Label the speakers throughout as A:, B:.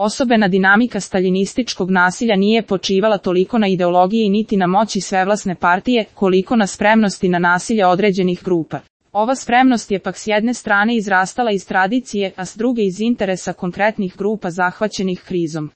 A: Osobena dinamika staljinističkog nasilja nije počivala toliko na ideologiji niti na moći svevlasne partije, koliko na spremnosti na nasilje određenih grupa. Ova spremnost je pak s jedne strane izrastala iz tradicije, a s druge iz interesa konkretnih grupa zahvaćenih krizom.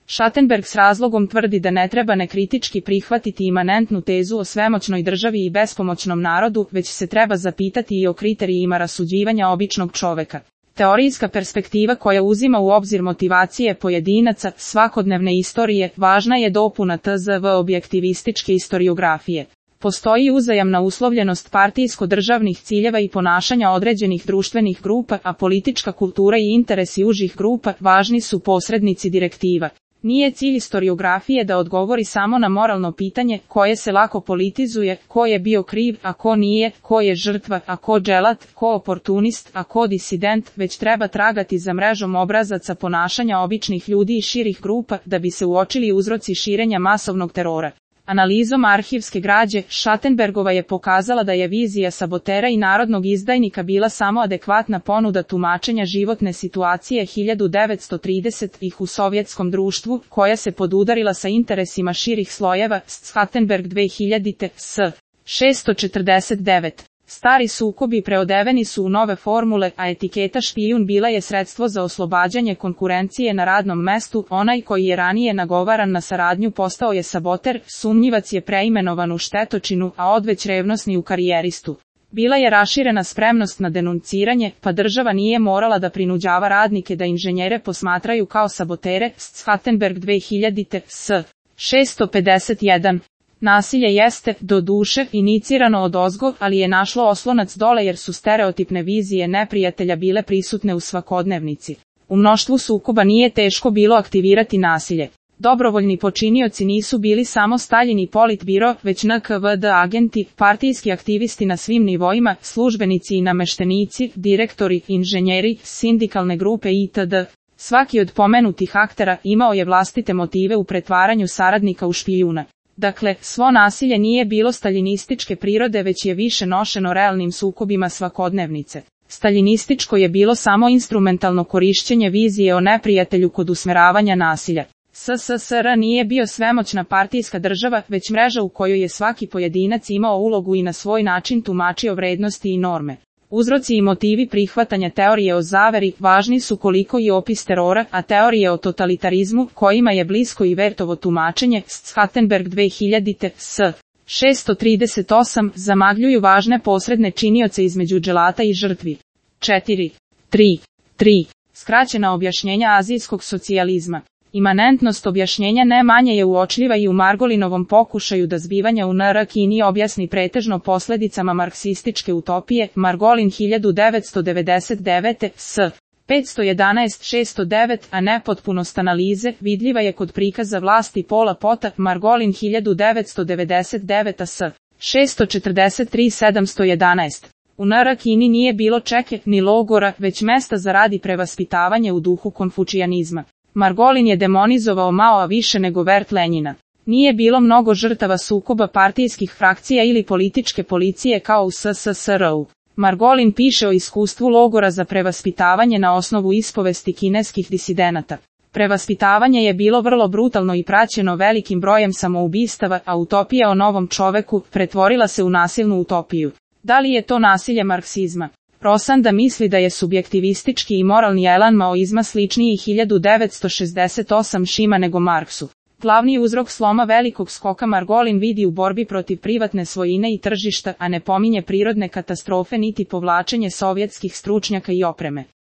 A: Schattenberg s razlogom tvrdi da ne treba nekritički prihvatiti imanentnu tezu o svemoćnoj državi i bespomoćnom narodu, već se treba zapitati i o kriterijima rasuđivanja običnog čoveka. Teorijska perspektiva koja uzima u obzir motivacije pojedinaca, svakodnevne istorije, važna je dopuna tzv. Objektivističke istoriografije. Postoji uzajamna uslovljenost partijsko-državnih ciljeva i ponašanja određenih društvenih grupa, a politička kultura i interesi užih grupa važni su posrednici direktiva. Nije cilj istoriografije da odgovori samo na moralno pitanje koje se lako politizuje, ko je bio kriv, a ko nije, ko je žrtva, a ko dželat, ko oportunist, a ko disident, već treba tragati za mrežom obrazaca ponašanja običnih ljudi i širih grupa da bi se uočili uzroci širenja masovnog terora. Analizom arhivske građe, Schattenbergova je pokazala da je vizija sabotera i narodnog izdajnika bila samo adekvatna ponuda tumačenja životne situacije 1930-ih u sovjetskom društvu, koja se podudarila sa interesima širih slojeva, Schattenberg 2000. s. 649. Stari sukobi preodeveni su u nove formule, a etiketa špijun bila je sredstvo za oslobađanje konkurencije na radnom mestu, onaj koji je ranije nagovaran na saradnju postao je saboter, sumnjivac je preimenovan u štetočinu, a odveć revnosni u karijeristu. Bila je raširena spremnost na denunciranje, pa država nije morala da prinuđava radnike da inženjere posmatraju kao sabotere, Schattenberg 2000. s. 651. Nasilje jeste, do duše, inicirano odozgo, ali je našlo oslonac dole jer su stereotipne vizije neprijatelja bile prisutne u svakodnevnici. U mnoštvu sukoba nije teško bilo aktivirati nasilje. Dobrovoljni počinioci nisu bili samo Staljin i Politbiro, već NKVD agenti, partijski aktivisti na svim nivoima, službenici i nameštenici, direktori, inženjeri, sindikalne grupe itd. Svaki od pomenutih aktera imao je vlastite motive u pretvaranju saradnika u špijuna. Dakle, svo nasilje nije bilo staljinističke prirode već je više nošeno realnim sukobima svakodnevnice. Staljinističko je bilo samo instrumentalno korišćenje vizije o neprijatelju kod usmeravanja nasilja. SSSR nije bio svemoćna partijska država, već mreža u kojoj je svaki pojedinac imao ulogu i na svoj način tumačio vrednosti i norme. Uzroci i motivi prihvatanja teorije o zaveri važni su koliko i opis terora, a teorije o totalitarizmu, kojima je blisko i Wertovo tumačenje, Schattenberg 2000. s. 638, zamagljuju važne posredne činioce između dželata i žrtvi. 4.3. Skraćena objašnjenja azijskog socijalizma. Imanentnost objašnjenja ne manje je uočljiva i u Margolinovom pokušaju da zbivanja u NR Kini objasni pretežno posledicama marksističke utopije, Margolin 1999. s. 511-609, a nepotpunost analize, vidljiva je kod prikaza vlasti Pola Pota, Margolin 1999. s. 643-711. U NR Kini nije bilo čeke, ni logora, već mesta za rad i prevaspitavanje u duhu konfučijanizma. Margolin je demonizovao Maoa više nego Wert Lenjina. Nije bilo mnogo žrtava sukoba partijskih frakcija ili političke policije kao u SSSR-u. Margolin piše o iskustvu logora za prevaspitavanje na osnovu ispovesti kineskih disidenata. Prevaspitavanje je bilo vrlo brutalno i praćeno velikim brojem samoubistava, a utopija o novom čoveku pretvorila se u nasilnu utopiju. Da li je to nasilje marksizma? Rosanda misli da je subjektivistički i moralni elan maoizma sličniji 1968 šima nego Marksu. Glavni uzrok sloma velikog skoka Margolin vidi u borbi protiv privatne svojine i tržišta, a ne pominje prirodne katastrofe niti povlačenje sovjetskih stručnjaka i opreme.